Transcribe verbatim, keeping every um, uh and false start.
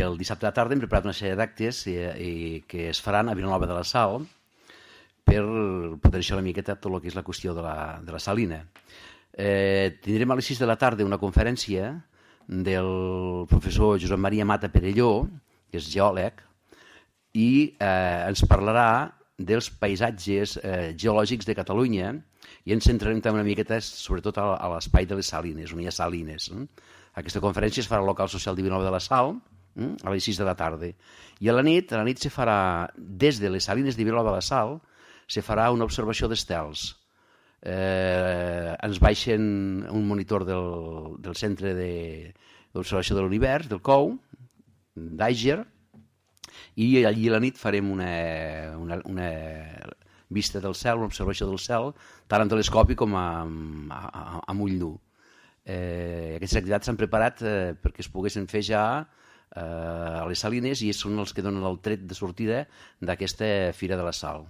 pel dissabte a la tarda hem preparat una sèrie d'actes i, i que es faran a Vilanova de la Sal per potenciar una miqueta tot el que és la qüestió de la, de la salina. Eh, tindrem a les sis de la tarda una conferència del professor Josep Maria Mata Perelló, que és geòleg, i eh, ens parlarà dels paisatges eh, geològics de Catalunya i ens centrarem també una miqueta sobretot a, a l'espai de les salines, on hi ha salines. Eh? Aquesta conferència es farà al local social de Vilanova de la Sal eh? a les sis de la tarda. I a la nit, a la nit se farà, des de les salines de Vilanova de la Sal, se farà una observació d'estels. Eh, ens baixen un monitor del, del centre d'observació de, de l'univers, del C O U, d'Àger, i allí a la nit farem una, una, una vista del cel, una observació del cel, tant amb telescopi com amb, amb ull nu. Eh, aquestes activitats s'han preparat eh, perquè es poguessin fer ja eh, a les salines i són els que donen el tret de sortida d'aquesta Fira de la Sal.